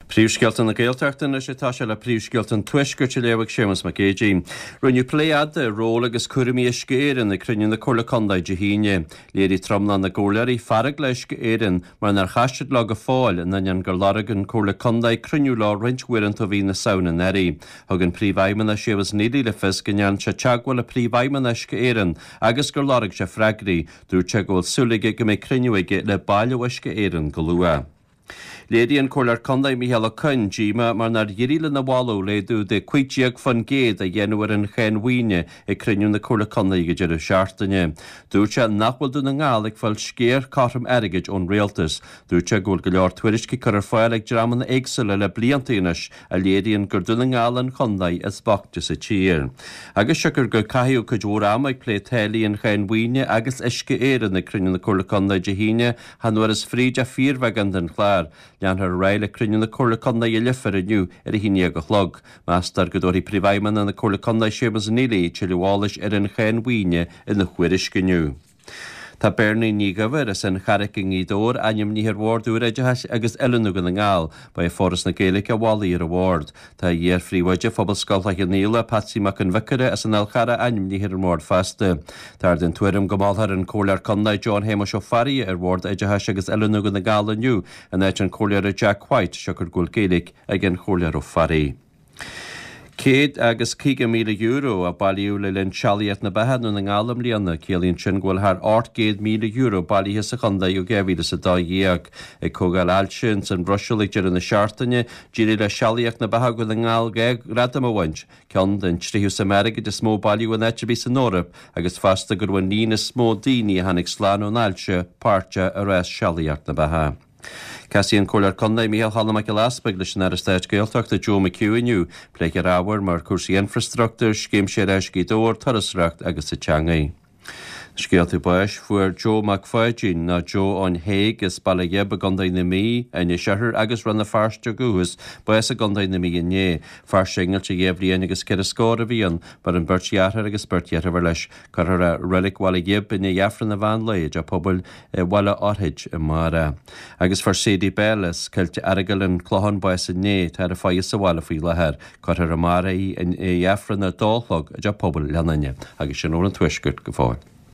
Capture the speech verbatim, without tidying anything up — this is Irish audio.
Príomhscéalta na Gaeltachta anois atá sé le príomhscéalta an Tuaiscirt a léifidh Séamus Mac Géidigh. Rinneadh plé fhada ar ról agus cúraimí Uisce Éireann ag cruinniú na Comhairle Contae Dé hAoine. Léirigh tromlach na gcomhairleoirí fearg le Uisce Éireann mar nár chas siad leo go fóill in ainneoin gur lorg an Comhairle Contae cruinniú leo roinnt uaireanta ó mhí na Samhna anuraidh. Thug an Príomhfheidhmeannach Séamus Neely le fios go ndearna sé teagmháil le Príomhfheidhmeannach Uisce Éireann agus gur lorg sé freagraí. Dúirt sé go bhfuil súil aige go mbeidh cruinniú aige le baill Uisce Éireann go luath. Léirigh an Comhairleoir Contae Micheál Ó Coinn díomá mar nár éirigh lena mholadh laghdú de cúig déag faoin gcéad a dhéanamh ar an cháin mhaoine ag cruinniú na Comhairle Contae ag an deireadh seachtaine. Dúirt sé nach bhfuil Dún na nGall ag fáil sciar cothrom airgid ón rialtas. Dúirt sé go bhfuil go leor tuairiscí curtha ar fáil ag dreamanna éagsúla le blianta anois a léiríonn gur Dún na nGall an chontae is boichte sa tír. Agus siocair gur caitheadh cuid mhór ama ag plé táillí an cháin mhaoine agus Uisce Éireann ag cruinniú na Comhairle Contae Dé hAoine, chan fhuarthas fríd ach fíorbheagán den chlár. Leanfar ar aghaidh le cruinniú na Comhairle Contae i Leifear inniu ar a haon déag a chlog. Meastar go dtabharfaidh Príomhfheidhmeannach na Comhairle Contae Séamus Neely tuilleadh eolais ar an cháin mhaoine ina thuairisc inniu. Tá Bernie Ní Dhuibhir as an Charraic i nGaoth Dobhair ainmnithe ar Bhord úr Oideachais agus Oiliúna Dhún na nGall. Ba é Foras na Gaeilge a mhol í ar an bhord. Tá iar-phríomhoide Phobalscoil Chloich Cheann Fhaola, Patsy Mac an Bhiocaire as an Fhál Charrach ainmnithe ar an mbord fosta. Táthar den tuairim go molfar an Comhairleoir Contae John Shéamuis Ó Fearraigh ar Bhord Oideachais agus Oiliúna Dhún na nGall inniu in áit an Chomhairleora Jack White, siocair go bhfuil Gaeilge ag an Chomhairleoir Ó Fearraigh. Céad agus caoga míle euro a bailíodh le linn Sealaíocht na Beatha i nDún na nGall i mbliana. Ciallaíonn sin go bhfuil thar ocht gcéad míle euro bailithe sa chontae ó dhá mhíle is a dó dhéag. Ag comhdháil ailse ins an Bhruiséil ag deireadh na seachtaine, d'éirigh le Sealaíocht na Beatha Dhún na nGall dhá ghradam a bhaint, ceann den tríú suim airgid is mó a bailíodh in áit ar bith san Eoraip agus fosta go raibh an líon is mó daoine a tháinig slán ón ailse páirteach i rás Sealaíocht na Beatha. Casfaidh an Comhairleoir Contae Micheál Choilm Mac Giolla Easpaig leis an Aire Stáit Gaeltachta Joe McHugh inniu. Pléifear ábhair mar cúrsaí infreastruchtúir, Scéim Séarachais Ghaoth Dobhair, turasóireacht agus an teangaidh. Scéalta báis Fuair Joe Mac Pháidín, nó Joe ón Thaidhg as Baile Ghib i gContae na Mí, Inis Oirthir agus Rann na Feirste ó dhúchas, bás i gContae na Mí inné. Fear singilte dhá bhliain agus ceithre scór a bhí ann. Maireann beirt dheartháir agus beirt dheirfiúr leis. Cuirfear é i Reilig Bhaile Ghib i ndiaidh Aifreann an mheán lae i dTeach Pobail Bhaile Fhorthaid amárach. Agus fuair Sadie Bell as Coillte Earagail an Clochán bás inné, tá ar a faire sa bhaile faoi láthair. Cuirfear amárach í i ndiaidh Aifreann a dó a chlog i dTeach Pobail Leanainne. Agus sin úr an Tuaiscirt go fóill.